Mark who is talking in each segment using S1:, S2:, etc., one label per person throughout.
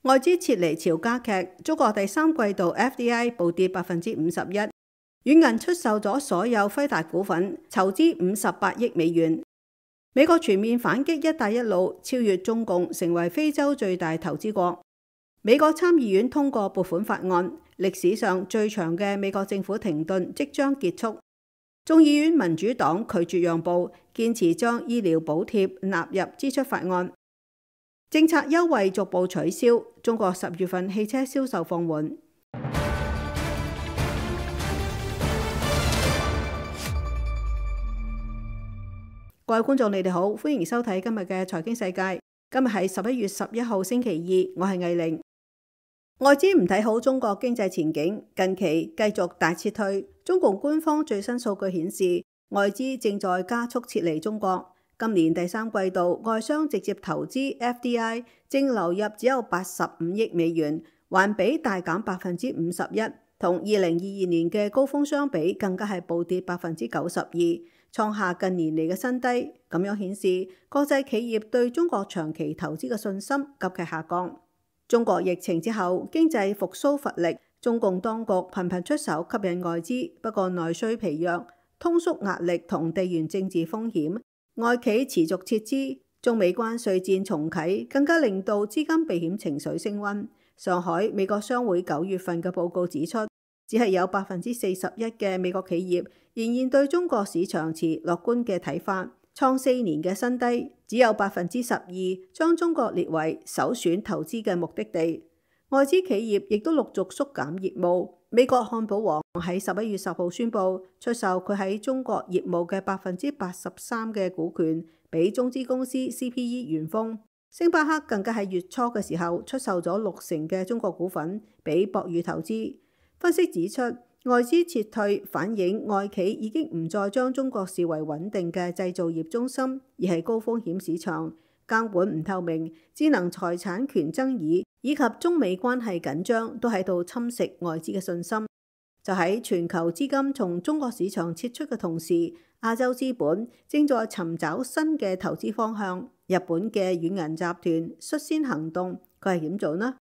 S1: 外資撤離潮加劇，中國第三季度 FDI 暴跌51%，軟銀出售咗所有輝達股份，籌資58億美元。美國全面反擊一帶一路，超越中共，成為非洲最大投資國。美國參議院通過撥款法案，歷史上最長嘅美國政府停頓即將結束。眾議院民主黨拒絕讓步，堅持將醫療補貼納入支出法案。政策優惠逐步取消，中國10月份汽車銷售放緩。各位觀眾，你哋好，歡迎收睇今日嘅財經世界。今日係11月11號星期二，我係藝玲。外資唔睇好中國經濟前景，近期繼續大撤退。中共官方最新數據顯示，外資正在加速撤離中國。今年第三季度，外商直接投資 FDI 淨流入只有85億美元，環比大減51%，同2022年嘅高峰相比，更加係暴跌92%，創下近年嚟嘅新低。咁樣顯示，國際企業對中國長期投資嘅信心急劇下降。中國疫情之後，經濟復甦乏力，中共當局頻頻出手吸引外資，不過內需疲弱、通縮壓力同地緣政治風險，外企持續撤資，中美關稅戰重啟，更加令到資金避險情緒升溫。上海美國商會9月份嘅報告指出，只係有41%嘅美國企業仍然對中國市場持樂觀嘅睇法，創4年嘅新低。只有12%將中國列為首選投資嘅目的地。外資企業亦都陸續縮減業務。美國漢堡王喺11月10號宣布出售佢喺中國業務嘅83%嘅股權俾中資公司 CPE 元豐。星巴克更加喺月初嘅時候出售咗60%嘅中國股份俾博裕投資。分析指出，外資撤退反映外企已經唔再將中國視為穩定嘅製造業中心，而係高風險市場。監管唔透明、智能財產權爭議以及中美關係緊張都喺度侵蝕外資嘅信心。就喺全球資金從中國市場撤出嘅同時，亞洲資本正在尋找新嘅投資方向。日本嘅軟銀集團率先行動，佢係點做呢？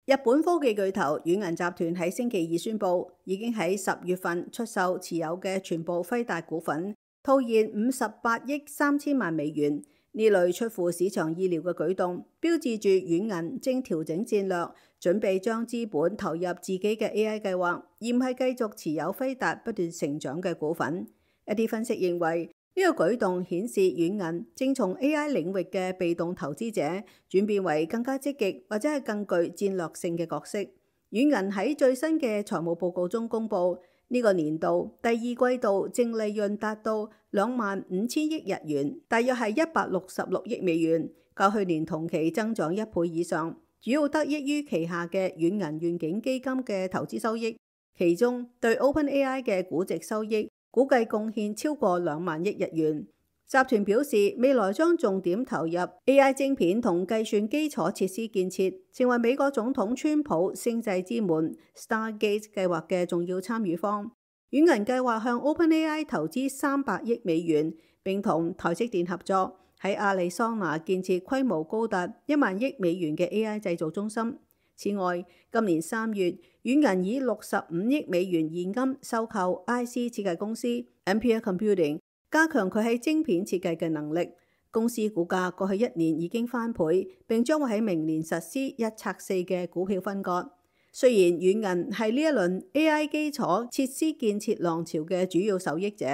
S1: 日本科技巨頭軟銀集團喺星期二宣布，已經喺10月份出售持有嘅全部輝達股份，套現58億3千萬美元。呢類出乎市場意料嘅舉動，標誌住軟銀正調整戰略，準備將資本投入自己嘅 AI 計劃，而唔係繼續持有輝達不斷成長嘅股份。一啲分析認為，呢個舉動顯示軟銀正從 AI 領域嘅被動投資者轉變為更加積極或者係更具戰略性嘅角色。軟銀喺最新嘅財務報告中公布，呢個年度第二季度淨利潤達到25,000億日元，大約係166億美元，較去年同期增長1倍以上，主要得益於旗下嘅軟銀願景基金嘅投資收益，其中對 OpenAI 嘅估值收益估計貢獻超過2萬億日元。集團表示，未來將重點投入 AI 晶片同計算基礎設施建設，成為美國總統川普星際之門 Stargate 計劃嘅重要參與方。軟銀計劃向 OpenAI 投資300億美元，並同台積電合作喺亞利桑那建設規模高達1萬億美元嘅 AI 製造中心。此外，今年3月，軟銀以65億美元現金收購 IC 設計公司 Ampere Computing， 加強佢喺晶片設計嘅能力。公司股價過去1年已經翻倍，並將會喺明年實施1拆4嘅股票分割。雖然軟銀係呢一輪 AI 基礎設施建設浪潮嘅主要受益者，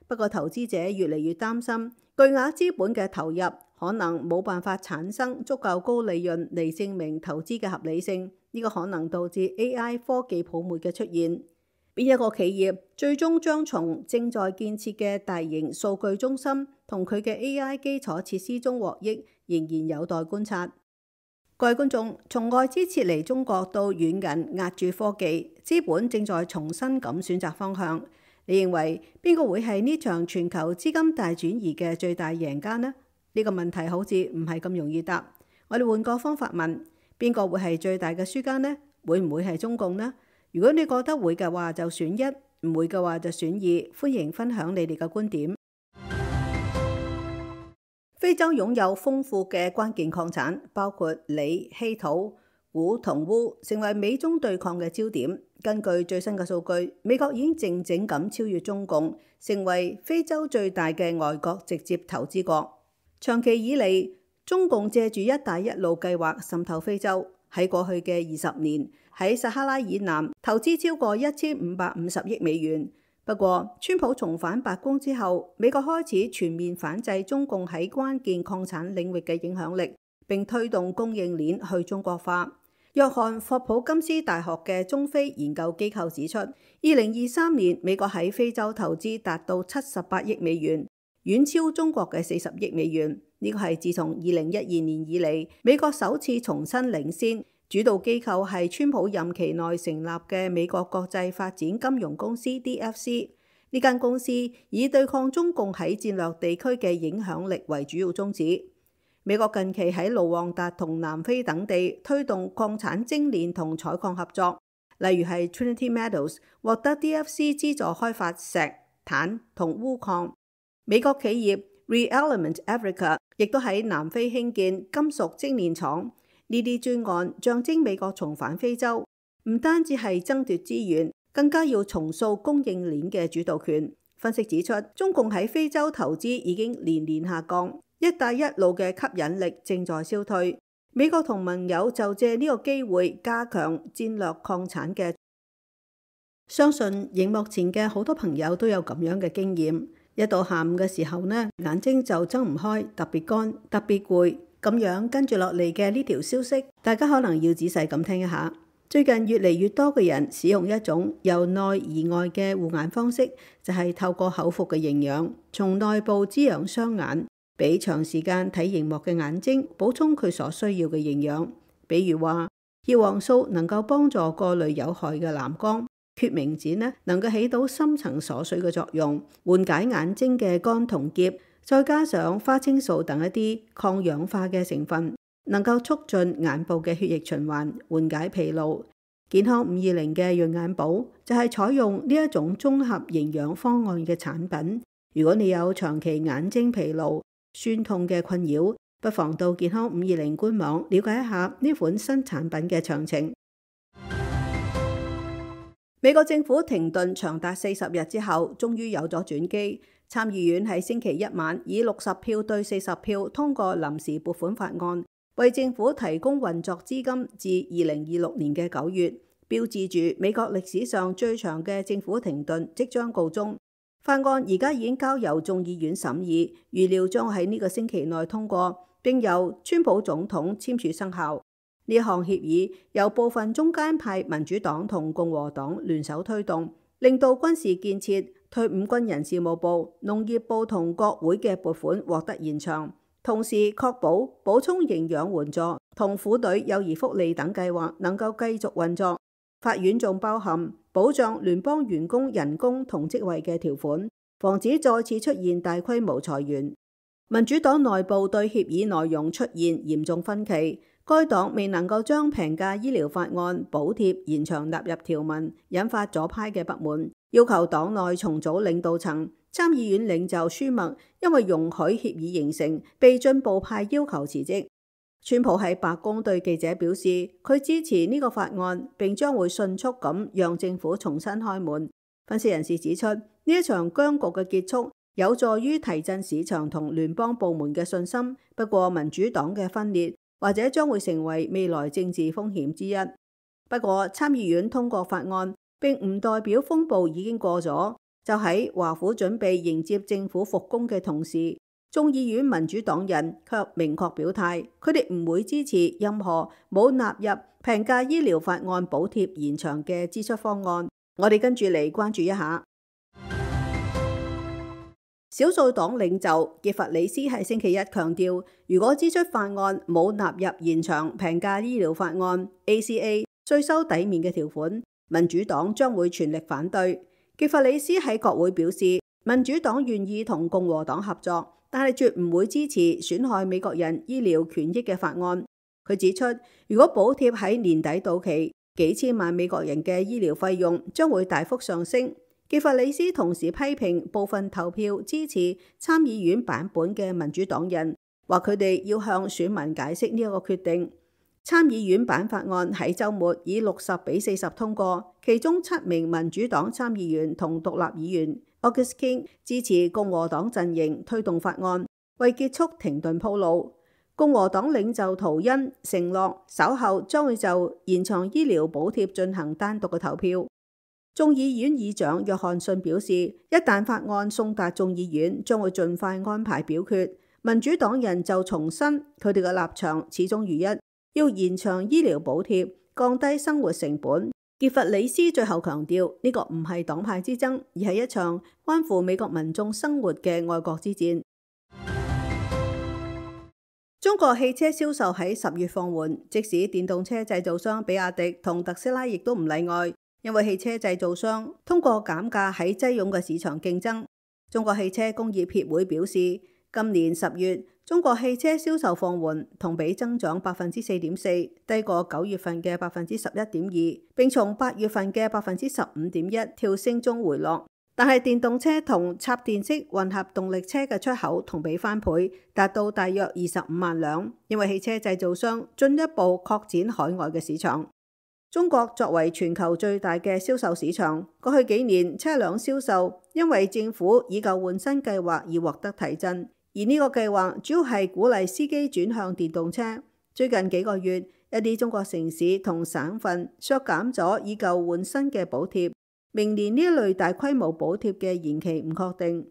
S1: 不過投資者越嚟越擔心巨額資本嘅投入可能冇辦法產生足夠高利潤嚟證明投資嘅合理性，呢個可能導致 AI 科技泡沫嘅出現。邊一個企業最終將從正在建設嘅大型數據中心同佢嘅 AI 基礎設施中獲益，仍然有待觀察。各位觀眾，從外資撤離中國到軟銀壓住科技，資本正在重新咁選擇方向。你認為邊個會係呢場全球資金大轉移嘅最大贏家呢？呢個問題好似唔係咁容易答。我哋換個方法問，邊個會係最大嘅輸家呢？會唔會係中共呢？如果你覺得會嘅話，就選1；唔會嘅話就選2。歡迎分享你哋嘅觀點。非洲擁有豐富嘅關鍵礦產，包括鋰、稀土、鈷同鎢，成為美中對抗嘅焦點。根據最新嘅數據，美國已經靜靜咁超越中共，成為非洲最大嘅外國直接投資國。長期以嚟，中共借住一帶一路計劃滲透非洲，喺過去嘅20年喺撒哈拉以南投資超過1550億美元。不過，川普重返白宮之後，美國開始全面反制中共喺關鍵礦產領域嘅影響力，並推動供應鏈去中國化。約翰霍普金斯大學嘅中非研究機構指出，2023年美國喺非洲投資達到78億美元，遠超中國嘅40億美元。呢個係自從2012年以嚟，美國首次重新領先。主導機構係川普任期內成立嘅美國國際發展金融公司 DFC。呢間公司以對抗中共喺戰略地區嘅影響力為主要宗旨。美國近期喺盧旺達同南非等地推動礦產精煉同採礦合作，例如係 Trinity Metals 獲得 DFC 資助開發石、碳同鎢礦。美國企業 ReElement Africa 亦都喺南非興建金屬精煉廠。呢啲專案象徵美國重返非洲，唔單止係爭奪資源，更加要重塑供應鏈嘅主導權。分析指出，中共喺非洲投資已經年年下降，一帶一路嘅吸引力正在消退。美國同盟友就借呢個機會加強戰略礦產嘅。相信熒幕前嘅好多朋友都有咁樣嘅經驗，一到下午嘅時候呢，眼睛就睜唔開，特別乾，特別攰。咁樣跟住落嚟嘅呢條消息，大家可能要仔細咁聽一下。最近越嚟越多嘅人使用一種由內而外嘅護眼方式，就係透過口服嘅營養，從內部滋養雙眼，俾長時間睇熒幕嘅眼睛補充佢所需要嘅營養。比如話，葉黃素能夠幫助過濾有害嘅藍光，決明子呢能夠起到深層鎖水嘅作用，緩解眼睛嘅乾同澀。再加上花青素等一啲抗氧化嘅成分，能夠促進眼部嘅血液循環，緩解疲勞。健康520嘅潤眼寶就係採用呢一種綜合營養方案嘅產品。如果你有長期眼睛疲勞、酸痛嘅困擾，不妨到健康520官網了解一下呢款新產品嘅詳情。美國政府停頓長達40日之後，終於有咗轉機。參議院喺星期一晚以60票對40票通過臨時撥款法案，為政府提供運作資金至2026年嘅9月，標誌住美國歷史上最長嘅政府停頓即將告終。法案而家已經交由眾議院審議，預料將喺呢個星期內通過，並由川普總統簽署生效。呢項協議由部分中間派民主黨同共和黨聯手推動，令到軍事建設、退伍軍人事務部、農業部同國會嘅撥款獲得延長，同時確保補充營養援助同婦女幼兒福利等計劃能夠繼續運作。法院仲包含保障聯邦員工人工同職位嘅條款，防止再次出現大規模裁員。民主黨內部對協議內容出現嚴重分歧，該黨未能夠將平價醫療法案補貼延長納入條文，引發左派嘅不滿，要求黨內重組領導層。參議院領袖舒默因為容許協議形成，被進步派要求辭職。川普喺白宮對記者表示，佢支持呢個法案，並將會迅速咁讓政府重新開門。分析人士指出，呢一場僵局嘅結束有助於提振市場同聯邦部門嘅信心。不過民主黨嘅分裂或者將會成為未來政治風險之一。不過參議院通過法案並唔代表風暴已經過咗。就喺華府準備迎接政府復工嘅同時，眾議院民主黨人卻明確表態，佢哋唔會支持任何冇納入平價醫療法案補貼延長嘅支出方案。我哋跟住嚟關注一下。少數黨領袖傑弗里斯喺星期一強調，如果支出法案冇納入延長平價醫療法案 ACA 稅收抵免嘅條款，民主黨將會全力反對。傑弗里斯喺國會表示，民主黨願意同共和黨合作，但係絕唔會支持損害美國人醫療權益嘅法案。佢指出，如果補貼喺年底到期，幾千萬美國人嘅醫療費用將會大幅上升。傑弗里斯同時批評部分投票支持參議院版本嘅民主黨人話佢哋要向選民解釋呢一個決定。參議院版法案喺週末以60-40通過，其中7名民主黨參議員同獨立議員 August King 支持共和黨陣營推動法案，為結束停頓鋪路。共和黨領袖圖恩承諾稍後將會就延長醫療補貼進行單獨嘅投票。眾議院議長約翰遜表示，一旦法案送達眾議院，將會盡快安排表決。民主黨人就重申佢哋嘅立場始終如一，要延長醫療補貼，降低生活成本。傑弗里斯最後強調，呢個唔係黨派之爭，而係一場關乎美國民眾生活嘅愛國之戰。中國汽車銷售喺10月放緩，即使電動車製造商比亞迪同特斯拉亦都唔例外，因為汽車製造商通過減價喺擠擁嘅市場競爭。中國汽車工業協會表示，今年10月中國汽車銷售放緩，同比增長4.4%，低過9月份嘅11.2%，並從8月份嘅15.1%跳升中回落。但係電動車同插電式混合動力車嘅出口同比翻倍，達到大約25萬輛，因為汽車製造商進一步擴展海外嘅市場。中國作為全球最大嘅銷售市場，過去幾年車輛銷售因為政府以舊換新計劃而獲得提振，而呢個計劃主要係鼓勵司機轉向電動車。最近幾個月，一啲中國城市同省份削減咗以舊換新嘅補貼。明年呢一類大規模補貼嘅延期唔確定。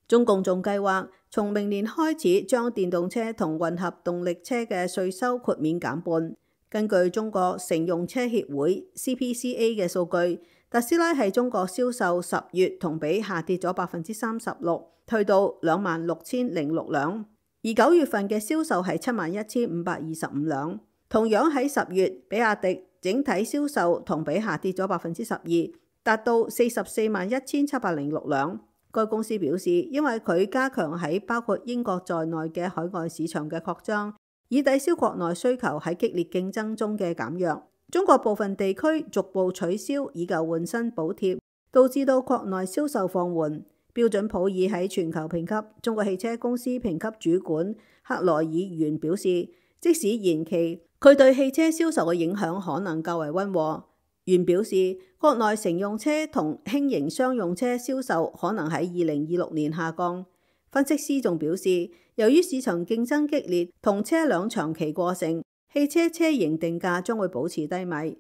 S1: 中共仲計劃從明年開始將電動車同混合動力車嘅稅收豁免減半。根據中國乘用車協會 CPCA 嘅數據，特斯拉喺中國銷售10月同比下跌咗36%，去到26,006輛，而9月份嘅銷售係71,525輛。同樣喺10月，比亞迪整體銷售同比下跌咗12%。達到441706輛。該公司表示，因為佢加強喺包括英國在內嘅海外市場嘅擴張，以抵消國內需求喺激烈競爭中嘅減弱。中國部分地區逐步取消以舊換新補貼，導致到國內銷售放緩。標準普爾喺全球評級中國汽車公司評級主管克萊爾袁表示，即使延期，佢對汽車銷售嘅影響可能較為溫和。袁表示，國內乘用車同輕型商用車銷售可能喺2026年下降。分析師仲表示，由於市場競爭激烈同車輛長期過剩，汽車車型定價將會保持低迷。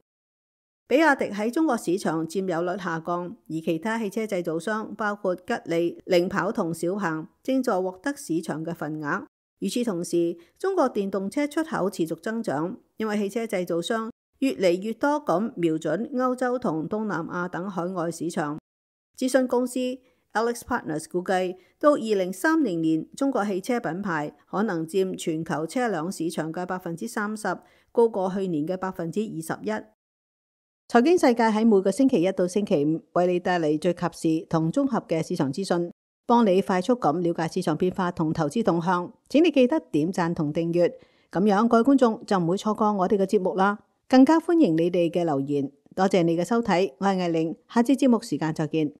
S1: 比亞迪喺中國市場佔有率下降，而其他汽車製造商包括吉利、領跑同小鵬正在獲得市場嘅份額。與此同時，中國電動車出口持續增長，因為汽車製造商越嚟越多咁瞄準歐洲同東南亞等海外市場。諮詢公司 AlixPartners 估計，到2030年，中國汽車品牌可能佔全球車輛市場嘅30%，高過去年嘅21%。財經世界喺每個星期一到星期五為你帶嚟最及時同綜合嘅市場資訊，幫你快速咁了解市場變化同投資動向。請你記得點讚同訂閱，咁樣各位觀眾就唔會錯過我哋嘅節目啦。更加歡迎你哋嘅留言，多謝你嘅收睇，我係艾玲，下次節目時間再見。